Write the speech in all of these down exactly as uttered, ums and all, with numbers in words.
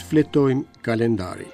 Shfletojmë kalendarin.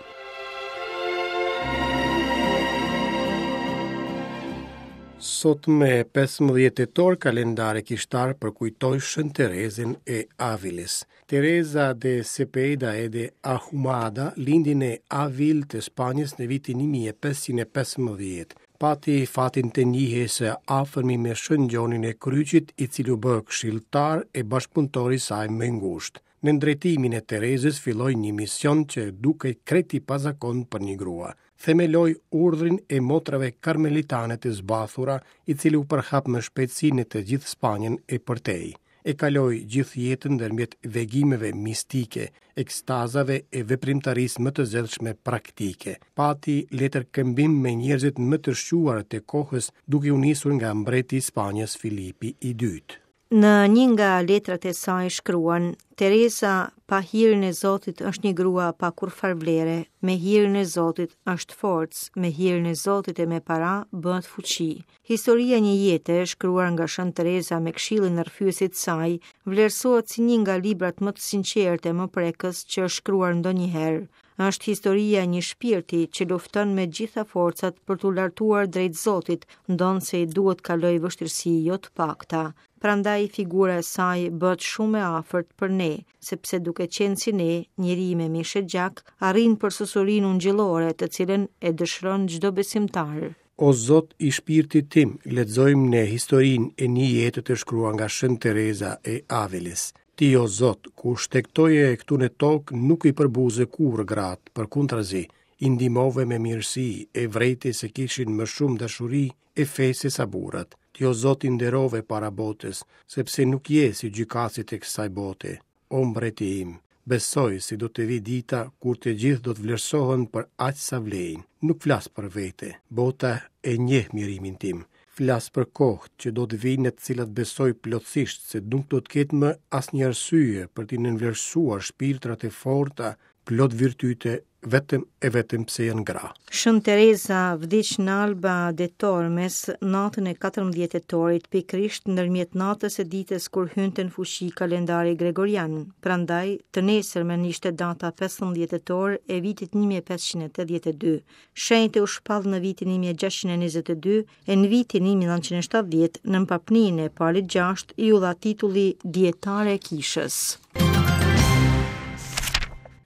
Sot me pesëmbëdhjetë tetor kalendari kishtar përkujtoi Shën Terezën e Aviles. Teresa de Cepeda e de Ahumada lindi në Avil të Spanjës në vitin një mijë e pesëqind e pesëmbëdhjetë. Pati fatin të njihej së afërmi me Shën Gjonin e Kryqit, i cili u bë këshilltar e bashkëpunëtor i saj më i ngushtë. Nën drejtimin e Terezës filloi një mision që dukej krejt i pazakontë për një grua. Themeloi urdhrin e motrave karmelitane të zbathura, i cili u përhap me shpejtësi në të gjithë Spanjën e përtej. E kaloi gjithë jetën ndërmjet vegimeve mistike, ekstazave e veprimtarisë më të zellshme praktike. Pati letër këmbim me njerëzit më të shquar të kohës, duke u nisur nga mbreti i Spanjës Filipi i dytë. Në një nga letrat e saj shkruan: Teresa, pa hirin e Zotit është një grua pa kurrfar vlere, me hirin e Zotit është forcë, me hirin e Zotit e me para bëhet fuqi. Historia e një jete, shkruar nga Shën Teresa me këshillin e rrëfyesit saj, vlerësohet si një nga librat më të sinqertë e më prekës që është shkruar ndonjëherë. Është historia e një shpirti që lufton me gjitha forcat për t'u lartuar drejt Zotit, ndonëse i duhet kaloj vështirësi jo të pakta. Prandaj figura e saj bëhet shumë e afërt për ne, sepse duke qenë si ne, njeri me mish e gjak, arrin për susurinë ungjillore, të cilën e dëshiron çdo besimtar. O Zot i shpirtit tim, lexojmë në historinë e një jete të shkruar nga Shën Teresa e Aviles. Ti, o Zot, kur shtegtoje këtu në tokë, nuk i përbuze kurrë gratë, përkundrazi, i ndihmove me mirësi, e vrejti se kishin më shumë dashuri e fe se sa burrat. Ti, o Zot, i nderove para botës, sepse nuk je si gjykatësit e kësaj bote. O mbreti im, besoj se do të vi dita kur të gjithë do të vlerësohen për aq sa vlejnë. Nuk flas për vete, bota e njeh mjerimin tim. Flas për kohë që do të vinë në të cilat besoj plotësisht se nuk do të ketë më asnjë arsye për t'i nënvlerësuar shpirtrat e forta, plot virtyte, vetëm e vetëm pse janë gra. Shën Teresa vdiq në Alba de Tormes natën e katërmbëdhjetë tetorit, pikërisht ndërmjet natës e ditës kur hynte në fuqi kalendari gregorian. Prandaj, të nesërmen ishte data pesëmbëdhjetë tetor e vitit një mijë e pesëqind e tetëdhjetë e dy. Shenjte u shpall në vitin një mijë e gjashtëqind e njëzet e dy e në vitin një mijë e nëntëqind e shtatëdhjetë në papninë e Palit gjashtë iu dha titulli Dietare e Kishës.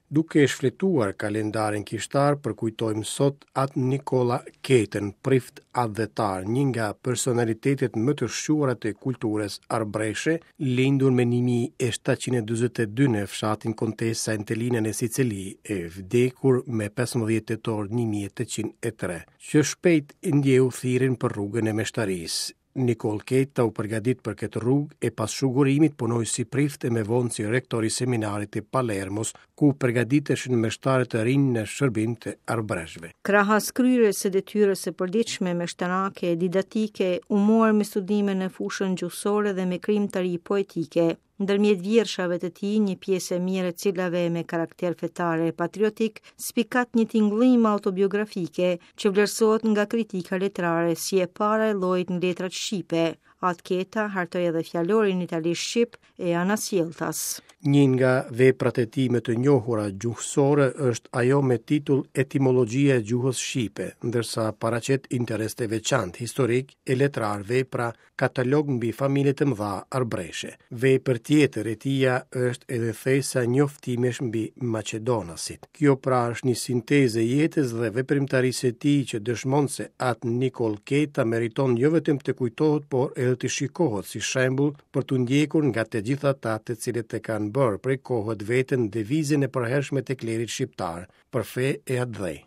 Duke shfletuar kalendarin kishtar, përkujtojmë sot atë Nikola Ketën, prift atdhetar, një nga personalitetet më të shquara të kulturës arbreshe, lindur me një mijë e shtatëqind e dyzet e dy në fshatin Kontesa Entelina në Sicili, e vdekur me pesëmbëdhjetë tetor një mijë e tetëqind e tre, që shpejt ndjeu thirrjen për rrugën e meshtarisë. Nikoll Keta u përgatit për këtë rrugë e pas shugurimit punoi si prift e me vonë si rektor i seminarit të Palermos, ku përgatiteshin meshtarët të rinj në shërbim të arbreshve. Krahas kryerjes së detyrës së përditshme meshtarake e didaktike, u mor me studime në fushën gjuhësore dhe me krijimtari poetike. Ndërmjet vjershave të tij, një pjesë e mirë e cilave me karakter fetar e patriotik, spikat një tingëllim autobiografike që vlerësohet nga kritika letrare si e para e llojit në letrat shqipe. Atë Keta hartoi edhe fjalorin italisht shqip e anasjelltas. Një nga veprat e tij më të njohura gjuhësore është ajo me titull Etimologjia e gjuhës shqipe, ndërsa paraqet interes të veçantë historik e letrar vepra Katalog mbi familjet e mëdha arbreshe. Vepër tjetër e tija është edhe thesa njoftimesh mbi Maqedonasit. Kjo pra është një sintezë e jetës dhe veprimtarisë së tij që dëshmon se atë Nikoll Keta meriton jo vetëm të kujtohet, por edhe të shikohet si shembull për t'u ndjekur nga të gjithë ata të cilët e kanë bërë prej kohët veten devizën e përhershme të klerit shqiptar për fe e atdhe.